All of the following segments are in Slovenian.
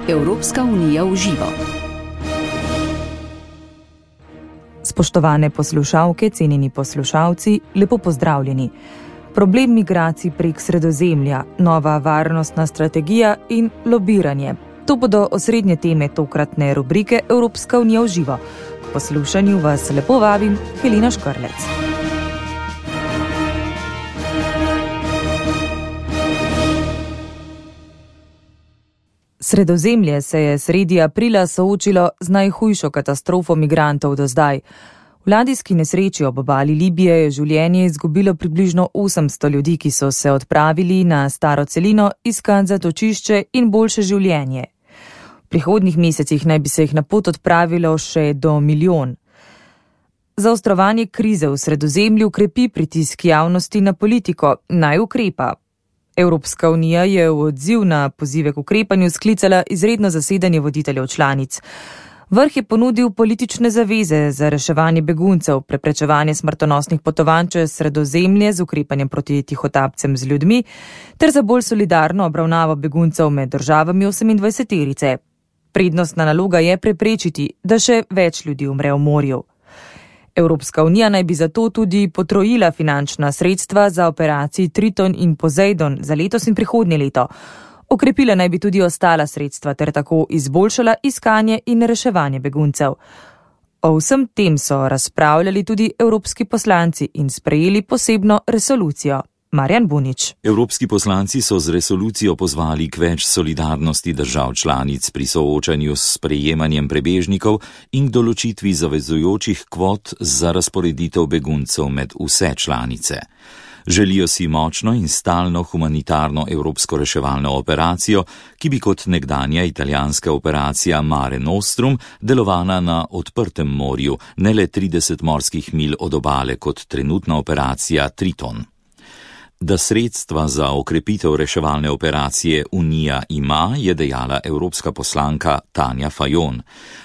Evropska unija v živo. Spoštovane poslušalke, cenjeni poslušalci, lepo pozdravljeni. Problem migracij prek Sredozemlja, nova varnostna strategija in lobiranje. To bodo osrednje teme tokratne rubrike Evropska unija v živo. K poslušanju vas lepo vabim, Helena Škrlec. Sredozemlje se je sredi aprila soočilo z najhujšo katastrofo migrantov do zdaj. V ladijski nesreči ob obali Libije je življenje izgubilo približno 800 ljudi, ki so se odpravili na staro celino iskat zatočišče in boljše življenje. V prihodnjih mesecih naj bi se jih na pot odpravilo še do 1 milijon. Zaostrovanje krize v Sredozemlju krepi pritisk javnosti na politiko, naj ukrepa. Evropska unija je v odziv na pozive k ukrepanju sklicala izredno zasedanje voditeljev članic. Vrh je ponudil politične zaveze za reševanje beguncev, preprečevanje smrtonosnih potovanj čez Sredozemlje z ukrepanjem proti tihotapcem z ljudmi ter za bolj solidarno obravnavo beguncev med državami 28-terice. Prednostna naloga je preprečiti, da še več ljudi umre v morju. Evropska unija naj bi zato tudi potrojila finančna sredstva za operaciji Triton in Poseidon za letos in prihodnje leto. Okrepila naj bi tudi ostala sredstva ter tako izboljšala iskanje in reševanje beguncev. O vsem tem so razpravljali tudi evropski poslanci in sprejeli posebno resolucijo. Marjan Bunič. Evropski poslanci so z resolucijo pozvali k več solidarnosti držav članic pri soočanju s sprejemanjem prebežnikov in k določitvi zavezujočih kvot za razporeditev beguncev med vse članice. Želijo si močno in stalno humanitarno evropsko reševalno operacijo, ki bi kot nekdanja italijanska operacija Mare Nostrum delovala na odprtem morju, ne le 30 morskih milj od obale kot trenutna operacija Triton. Da sredstva za okrepitev reševalne operacije Unija ima, je dejala evropska poslanka Tanja Fajon.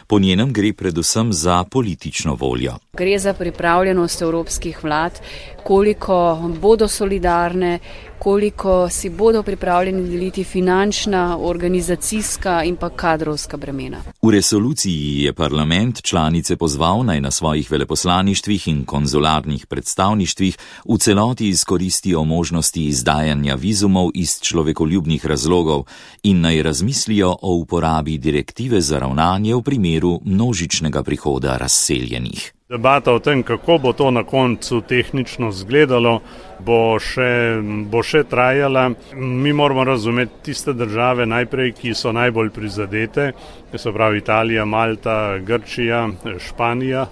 Po njenem gre predvsem za politično voljo. Gre za pripravljenost evropskih vlad, koliko bodo solidarne, koliko si bodo pripravljeni deliti finančna, organizacijska in pa kadrovska bremena. V resoluciji je parlament članice pozval, naj na svojih veleposlaništvih in konzularnih predstavništvih v celoti izkoristijo možnosti izdajanja vizumov iz človekoljubnih razlogov in naj razmislijo o uporabi direktive za ravnanje v primeru množičnega prihoda razseljenih. Debata o tem, kako bo to na koncu tehnično izgledalo, bo še trajala. Mi moramo razumeti tiste države najprej, ki so najbolj prizadete, to se pravi Italija, Malta, Grčija, Španija.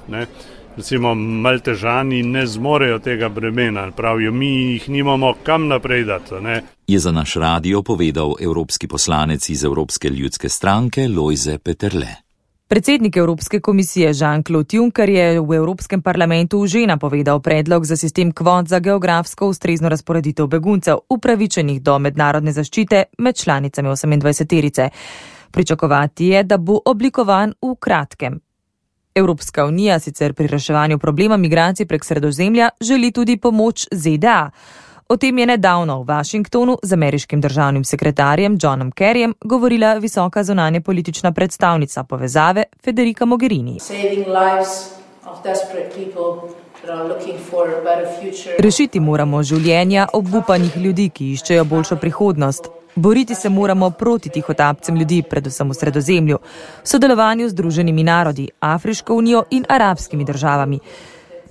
Recimo Maltežani ne zmorejo tega bremena, pravijo, mi jih nimamo kam naprej dati. Je za naš radio povedal evropski poslanec iz Evropske ljudske stranke Lojze Peterle. Predsednik Evropske komisije Jean-Claude Juncker je v Evropskem parlamentu že napovedal predlog za sistem kvot za geografsko ustrezno razporeditev beguncev, upravičenih do mednarodne zaščite med članicami 28-terice. Pričakovati je, da bo oblikovan v kratkem. Evropska unija sicer pri reševanju problema migracij prek Sredozemlja želi tudi pomoč ZDA. O tem je nedavno v Washingtonu z ameriškim državnim sekretarjem Johnom Kerryjem govorila visoka zunanje politična predstavnica povezave Federica Mogherini. Rešiti moramo življenja obupanih ljudi, ki iščejo boljšo prihodnost. Boriti se moramo proti tihotapcem ljudi, predvsem v Sredozemlju, v sodelovanju z Združenimi narodi, Afriško unijo in arabskimi državami.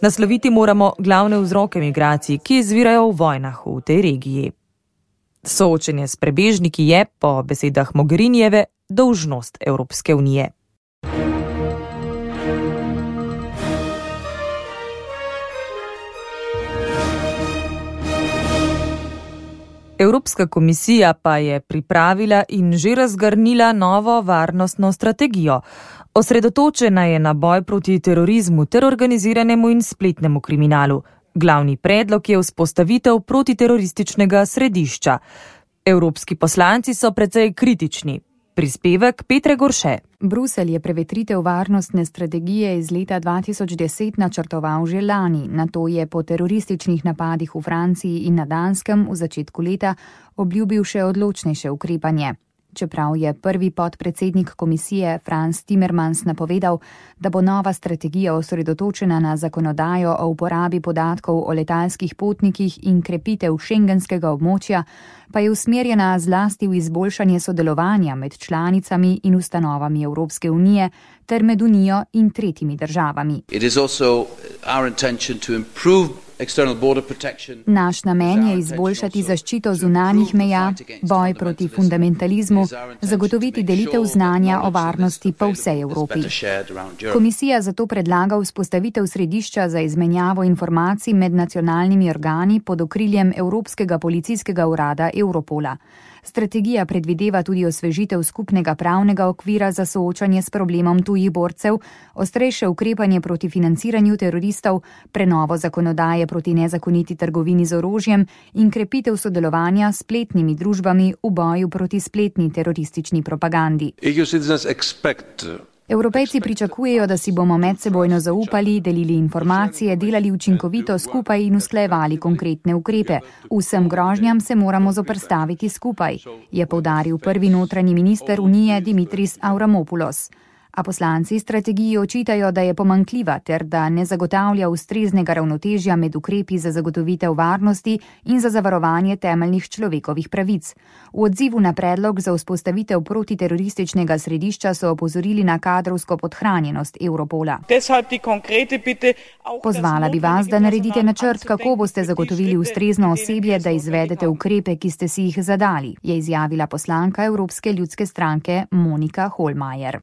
Nasloviti moramo glavne vzroke migracij, ki izvirajo v vojnah v tej regiji. Soočenje s prebežniki je, po besedah Mogherinijeve, dolžnost Evropske unije. Evropska komisija pa je pripravila in že razgrnila novo varnostno strategijo. Osredotočena je na boj proti terorizmu ter organiziranemu in spletnemu kriminalu. Glavni predlog je vzpostavitev protiterorističnega središča. Evropski poslanci so precej kritični. Prispevek Petre Gorše. Bruselj je prevetritev varnostne strategije iz leta 2010 načrtoval že lani, nato je po terorističnih napadih v Franciji in na Danskem v začetku leta obljubil še odločnejše ukrepanje. Čeprav je prvi podpredsednik komisije Franz Timmermans napovedal, da bo nova strategija osredotočena na zakonodajo o uporabi podatkov o letalskih potnikih in krepitev šengenskega območja, pa je usmerjena zlasti v izboljšanje sodelovanja med članicami in ustanovami Evropske unije ter med Unijo in tretjimi državami. Naš namen je izboljšati zaščito zunanjih meja, boj proti fundamentalizmu, zagotoviti delitev znanja o varnosti po vsej Evropi. Komisija zato predlaga vzpostavitev središča za izmenjavo informacij med nacionalnimi organi pod okriljem Evropskega policijskega urada Europola. Strategija predvideva tudi osvežitev skupnega pravnega okvira za soočanje s problemom tujih borcev, ostrejše ukrepanje proti financiranju teroristov, prenovo zakonodaje proti nezakoniti trgovini z orožjem in krepitev sodelovanja s spletnimi družbami v boju proti spletni teroristični propagandi. Evropejci pričakujejo, da si bomo medsebojno zaupali, delili informacije, delali učinkovito skupaj in usklajevali konkretne ukrepe. Vsem grožnjam se moramo zoperstaviti skupaj, je poudaril prvi notranji minister Unije Dimitris Avramopoulos. A poslanci strategiji očitajo, da je pomanjkljiva ter da ne zagotavlja ustreznega ravnotežja med ukrepi za zagotovitev varnosti in za zavarovanje temeljnih človekovih pravic. V odzivu na predlog za vzpostavitev protiterorističnega središča so opozorili na kadrovsko podhranjenost Europola. Pozvala bi vas, da naredite načrt, kako boste zagotovili ustrezno osebje, da izvedete ukrepe, ki ste si jih zadali, je izjavila poslanka Evropske ljudske stranke Monika Hohlmeier.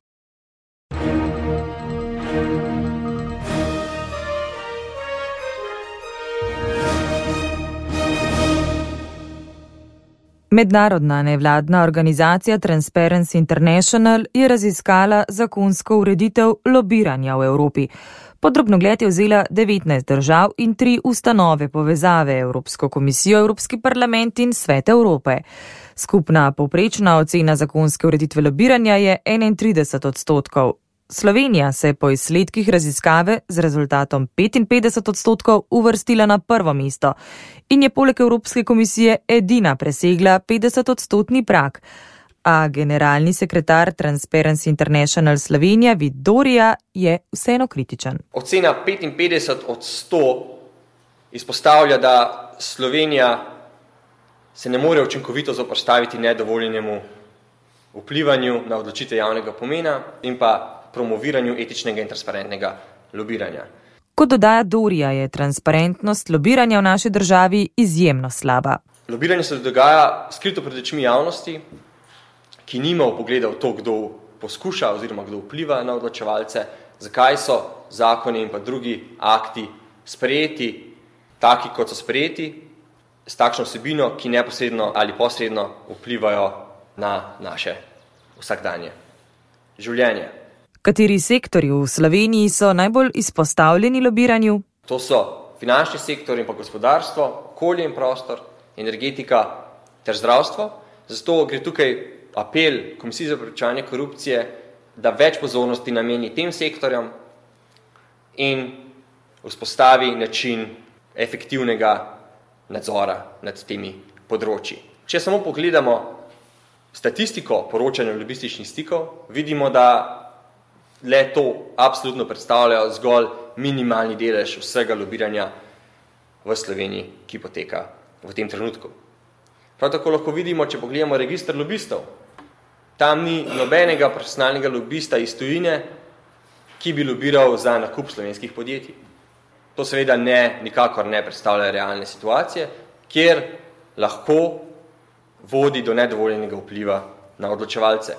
Mednarodna nevladna organizacija Transparency International je raziskala zakonsko ureditev lobiranja v Evropi. Podrobnogled je vzela 19 držav in 3 ustanove povezave, Evropsko komisijo, Evropski parlament in Svet Evrope. Skupna povprečna ocena zakonske ureditve lobiranja je 31%. Slovenija se je po izsledkih raziskave z rezultatom 55% uvrstila na prvo mesto in je poleg Evropske komisije edina presegla 50% prag. A generalni sekretar Transparency International Slovenija Vid Dorija je vseeno kritičen. Ocena 55% izpostavlja, da Slovenija se ne more učinkovito zoperstaviti nedovoljenemu vplivanju na odločitve javnega pomena in pa promoviranju etičnega in transparentnega lobiranja. Kot dodaja Dorija, je transparentnost lobiranja v naši državi izjemno slaba. Lobiranje se dogaja skrito pred očmi javnosti, ki nima vpogleda v to, kdo poskuša oziroma kdo vpliva na odločevalce, zakaj so zakoni in pa drugi akti sprejeti taki, kot so sprejeti, s takšno vsebino, ki neposredno ali posredno vplivajo na naše vsakdanje življenje. Kateri sektorji v Sloveniji so najbolj izpostavljeni lobiranju? To so finančni sektor in pa gospodarstvo, okolje in prostor, energetika ter zdravstvo. Zato gre tukaj apel Komisiji za preprečevanje korupcije, da več pozornosti nameni tem sektorjem in vzpostavi način efektivnega nadzora nad temi področji. Če samo pogledamo statistiko poročanja lobističnih stikov, vidimo, da le to absolutno predstavlja zgolj minimalni delež vsega lobiranja v Sloveniji, ki poteka v tem trenutku. Prav tako lahko vidimo, če pogledamo register lobistov, tam ni nobenega profesionalnega lobista iz tujine, ki bi lobiral za nakup slovenskih podjetij. To seveda nikakor ne predstavlja realne situacije, kjer lahko vodi do nedovoljenega vpliva na odločevalce.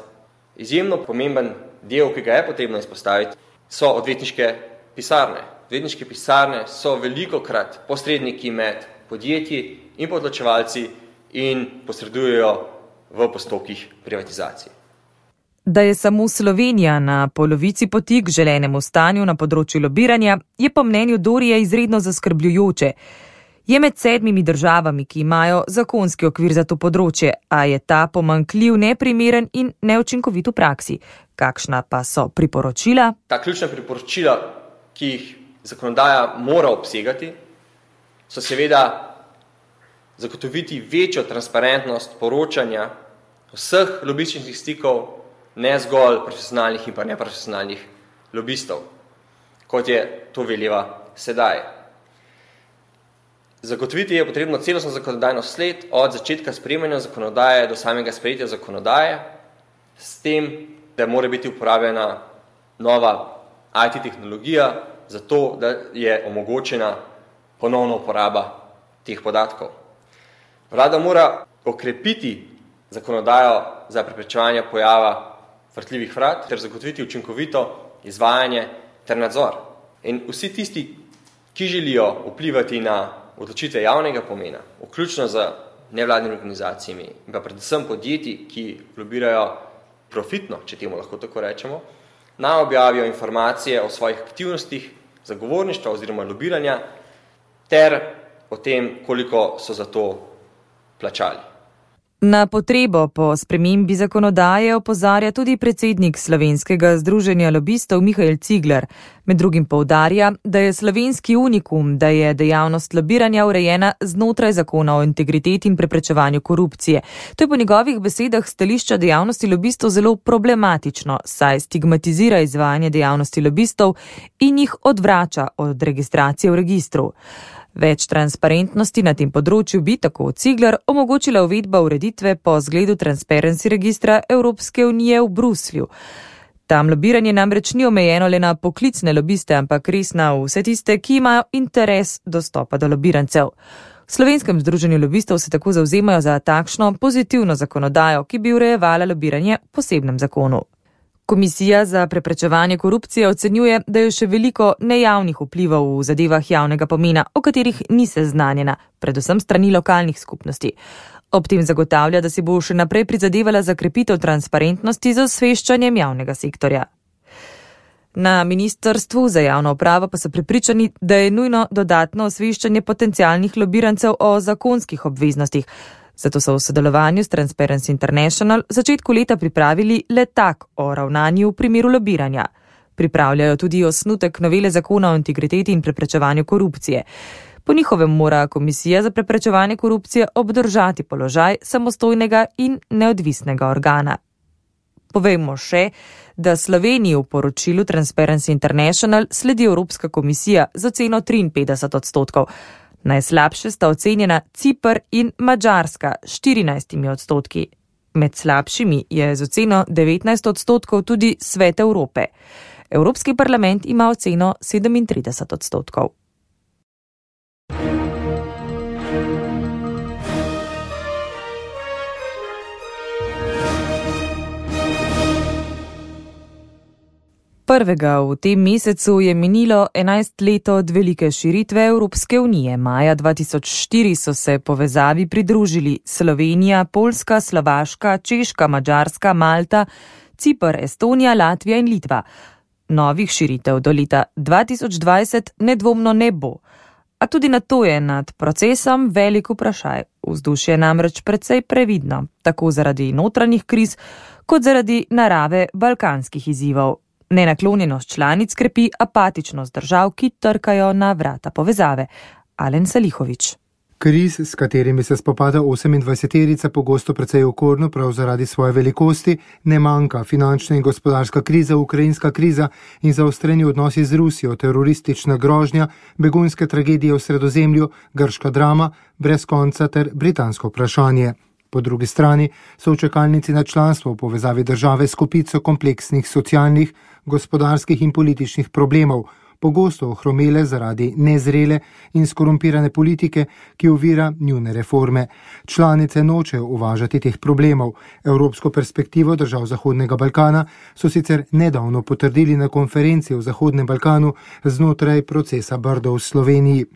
Izjemno pomemben del, ki ga je potrebno izpostaviti, so odvetniške pisarne. Odvetniške pisarne so velikokrat posredniki med podjetji in odločevalci in posredujejo v postopkih privatizacije. Da je samo Slovenija na polovici poti k želenemu stanju na področju lobiranja, je po mnenju Dorije izredno zaskrbljujoče. Je med 7 državami, ki imajo zakonski okvir za to področje, a je ta pomanjkljiv, neprimeren in neučinkovit v praksi. Kakšna pa so priporočila? Ta ključna priporočila, ki jih zakonodaja mora obsegati, so seveda zagotoviti večjo transparentnost poročanja vseh lobističnih stikov, ne zgolj profesionalnih in pa neprofesionalnih lobistov, kot je to veleva sedaj. Zagotoviti je potrebno celostno zakonodajno sled od začetka sprejemanja zakonodaje do samega sprejetja zakonodaje, s tem, da mora biti uporabljena nova IT tehnologija, zato da je omogočena ponovna uporaba teh podatkov. Vlada mora okrepiti zakonodajo za preprečevanje pojava vrtljivih vrat ter zagotoviti učinkovito izvajanje ter nadzor. In vsi tisti, ki želijo vplivati na odločitve javnega pomena, vključno z nevladnimi organizacijami in pa predvsem podjetji, ki lobirajo profitno, če temu lahko tako rečemo, naj objavijo informacije o svojih aktivnostih zagovorništva oziroma lobiranja ter o tem, koliko so za to plačali. Na potrebo po spremembi zakonodaje opozarja tudi predsednik Slovenskega združenja lobistov Mihael Cigler. Med drugim poudarja, da je slovenski unikum, da je dejavnost lobiranja urejena znotraj zakona o integriteti in preprečevanju korupcije. To je po njegovih besedah stališča dejavnosti lobistov zelo problematično, saj stigmatizira izvajanje dejavnosti lobistov in jih odvrača od registracije v registru. Več transparentnosti na tem področju bi, tako Cigler, omogočila uvedba ureditve po zgledu Transparency registra Evropske unije v Bruslju. Tam lobiranje namreč ni omejeno le na poklicne lobiste, ampak res na vse tiste, ki imajo interes dostopa do lobirancev. V Slovenskem združenju lobistov se tako zavzemajo za takšno pozitivno zakonodajo, ki bi urejevala lobiranje v posebnem zakonu. Komisija za preprečevanje korupcije ocenjuje, da je še veliko nejavnih vplivov v zadevah javnega pomena, o katerih ni seznanjena, predvsem strani lokalnih skupnosti. Ob tem zagotavlja, da si bo še naprej prizadevala za krepitev transparentnosti z osveščanjem javnega sektorja. Na Ministrstvu za javno upravo pa so prepričani, da je nujno dodatno osveščanje potencialnih lobirancev o zakonskih obveznostih. Zato so v sodelovanju s Transparency International v začetku leta pripravili letak o ravnanju v primeru lobiranja. Pripravljajo tudi osnutek novele zakona o integriteti in preprečevanju korupcije. Po njihovem mora Komisija za preprečevanje korupcije obdržati položaj samostojnega in neodvisnega organa. Povejmo še, da Sloveniji v poročilu Transparency International sledi Evropska komisija z oceno 53%. Najslabše sta ocenjena Ciper in Madžarska 14%. Med slabšimi je z oceno 19% tudi Svet Evrope. Evropski parlament ima oceno 37%. Prvega v tem mesecu je minilo 11 let od velike širitve Evropske unije. Maja 2004 so se povezavi pridružili Slovenija, Poljska, Slovaška, Češka, Madžarska, Malta, Ciper, Estonija, Latvija in Litva. Novih širitev do leta 2020 nedvomno ne bo. A tudi na to je nad procesom velik vprašaj. Vzdušje je namreč precej previdno, tako zaradi notranjih kriz, kot zaradi narave balkanskih izzivov. Nenaklonjenost članic krepi apatičnost držav, ki trkajo na vrata povezave. Alen Salihović. Kriz, s katerimi se spopada 28-terica, pogosto precej okorno, prav zaradi svoje velikosti, ne manjka. Finančna in gospodarska kriza, ukrajinska kriza in zaostreni odnosi z Rusijo, teroristična grožnja, begunske tragedije v Sredozemlju, grška drama, brez konca ter britansko vprašanje. Po drugi strani so v čakalnici na članstvo v povezavi države s kopico kompleksnih socialnih, gospodarskih in političnih problemov, pogosto ohromele zaradi nezrele in skorumpirane politike, ki ovira njune reforme. Članice nočejo uvažati teh problemov. Evropsko perspektivo držav Zahodnega Balkana so sicer nedavno potrdili na konferenci o Zahodnem Balkanu znotraj procesa Brdo v Sloveniji.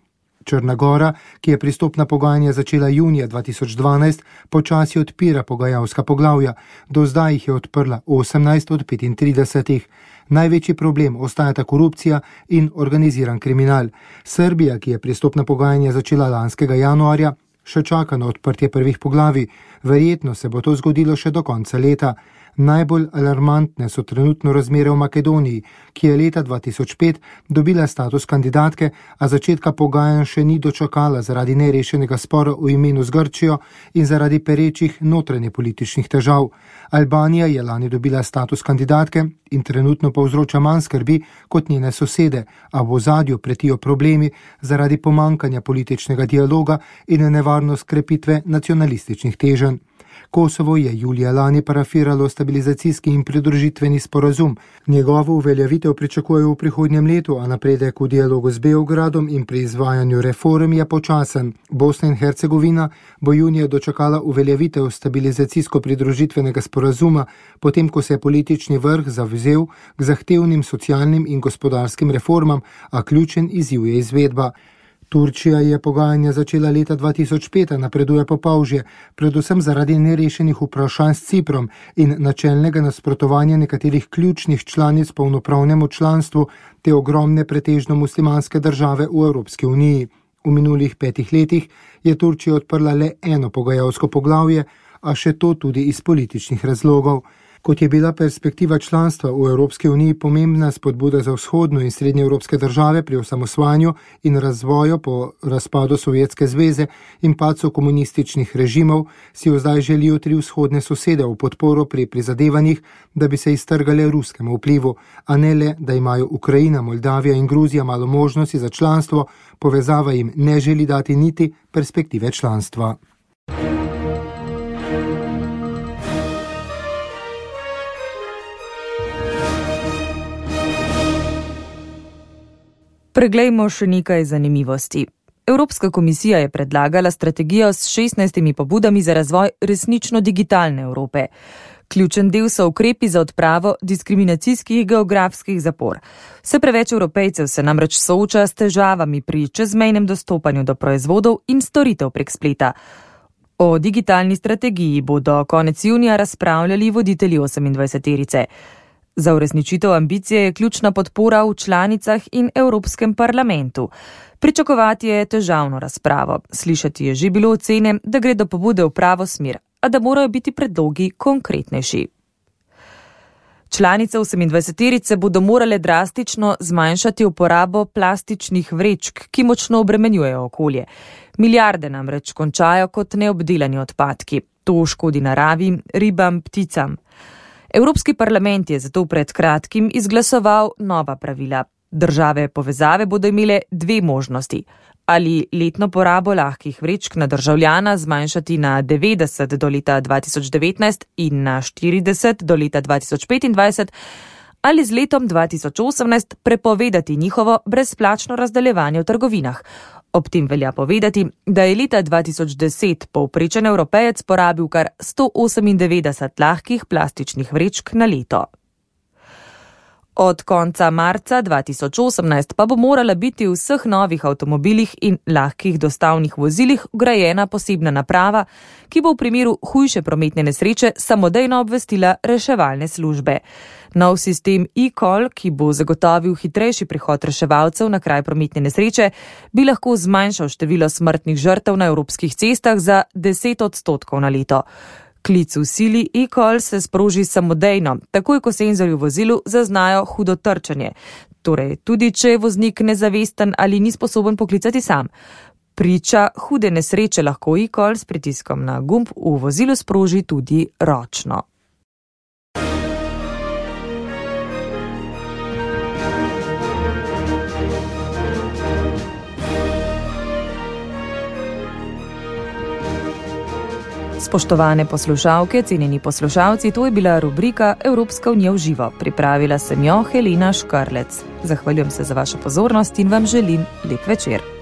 Črna Gora, ki je pristopna pogajanja začela junija 2012, počasi odpira pogajalska poglavja. Do zdaj jih je odprla 18 od 35. Največji problem ostajata korupcija in organiziran kriminal. Srbija, ki je pristopna pogajanja začela lanskega januarja, še čaka na odprtje prvih poglavij. Verjetno se bo to zgodilo še do konca leta. Najbolj alarmantne so trenutno razmere v Makedoniji, ki je leta 2005 dobila status kandidatke, a začetka pogajanj še ni dočakala zaradi nerešenega spora v imenu z Grčijo in zaradi perečih notranjepolitičnih težav. Albanija je lani dobila status kandidatke in trenutno povzroča manj skrbi kot njene sosede, a v ozadju pretijo problemi zaradi pomankanja političnega dialoga in nevarnost krepitve nacionalističnih teženj. Kosovo je julija lani parafiralo stabilizacijski in pridružitveni sporazum. Njegovo uveljavitev pričakujejo v prihodnjem letu, a napredek v dialogu z Beogradom in pri izvajanju reform je počasen. Bosna in Hercegovina bo junija dočakala uveljavitev stabilizacijsko-pridružitvenega sporazuma, potem ko se je politični vrh zavzel k zahtevnim socialnim in gospodarskim reformam, a ključen izziv je izvedba. Turčija je pogajanja začela leta 2005, napreduje po polžje, predvsem zaradi nerešenih vprašanj s Ciprom in načelnega nasprotovanja nekaterih ključnih članic polnopravnemu članstvu te ogromne pretežno muslimanske države v Evropski uniji. V minulih 5 letih je Turčija odprla le eno pogajalsko poglavje, a še to tudi iz političnih razlogov. Kot je bila perspektiva članstva v Evropski uniji pomembna spodbuda za vzhodno in srednje evropske države pri osamosvajanju in razvoju po razpadu Sovjetske zveze in padcu komunističnih režimov, si jo zdaj želijo 3 vzhodne sosede v podporo pri prizadevanjih, da bi se iztrgale ruskemu vplivu, a ne le, da imajo Ukrajina, Moldavija in Gruzija malo možnosti za članstvo, povezava jim ne želi dati niti perspektive članstva. Preglejmo še nekaj zanimivosti. Evropska komisija je predlagala strategijo s 16 pobudami za razvoj resnično digitalne Evrope. Ključen del so ukrepi za odpravo diskriminacijskih geografskih zapor. Vse preveč Evropejcev se namreč sooča s težavami pri čezmejnem dostopanju do proizvodov in storitev prek spleta. O digitalni strategiji bodo konec junija razpravljali voditelji 28-terice. Za uresničitev ambicije je ključna podpora v članicah in Evropskem parlamentu. Pričakovati je težavno razpravo. Slišati je že bilo ocene, da gre do pobude v pravo smer, a da morajo biti predlogi konkretnejši. Članice 28-terice bodo morale drastično zmanjšati uporabo plastičnih vrečk, ki močno obremenjujejo okolje. Milijarde namreč končajo kot neobdelani odpadki. To škodi naravi, ribam, pticam. Evropski parlament je zato pred kratkim izglasoval nova pravila. Države povezave bodo imele 2 možnosti. Ali letno porabo lahkih vrečk na državljana zmanjšati na 90 do leta 2019 in na 40 do leta 2025, ali z letom 2018 prepovedati njihovo brezplačno razdeljevanje v trgovinah. Ob tem velja povedati, da je leta 2010 povprečen Evropejec porabil kar 198 lahkih plastičnih vrečk na leto. Od konca marca 2018 pa bo morala biti v vseh novih avtomobilih in lahkih dostavnih vozilih vgrajena posebna naprava, ki bo v primeru hujše prometne nesreče samodejno obvestila reševalne službe. Nov sistem e-call, ki bo zagotovil hitrejši prihod reševalcev na kraj prometne nesreče, bi lahko zmanjšal število smrtnih žrtev na evropskih cestah za 10% na leto. Klic v sili e-call se sproži samodejno, takoj ko senzorji v vozilu zaznajo hudo trčenje. Torej, tudi če je voznik nezavesten ali ni sposoben poklicati sam. Priča hude nesreče lahko e-call s pritiskom na gumb v vozilu sproži tudi ročno. Spoštovane poslušalke, cenjeni poslušalci, to je bila rubrika Evropska unija v živo. Pripravila sem jo Helena Škarlec. Zahvaljujem se za vašo pozornost in vam želim lep večer.